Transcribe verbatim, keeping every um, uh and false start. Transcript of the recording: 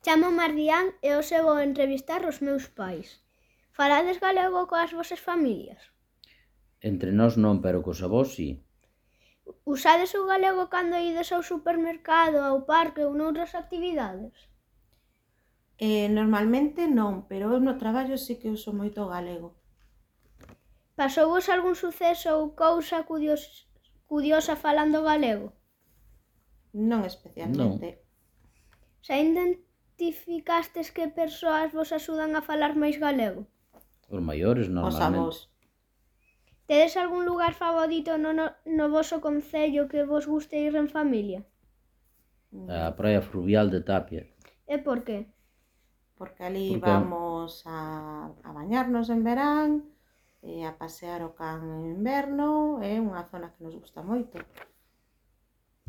Chamo Mardián e hoxe vou entrevistar os meus pais. Falades galego coas vosas familias? Entre nós non, pero cos avós si. Usades o galego cando ides ao supermercado, ao parque ou noutras actividades? Eh, normalmente non, pero eu no traballo sí que uso moito o galego. Pasouvos algún suceso ou cousa curios, curiosa falando galego? Non especialmente. Xa identificastes que persoas vos axudan a falar máis galego? Os maiores Os normalmente. avós. Tedes algún lugar favorito no, no, no voso concello que vos guste ir en familia? A praia fluvial de Tapia. E por qué? Porque ali Porque- vamos a, a bañarnos en verán, e a pasear o can en inverno, é unha zona que nos gusta moito.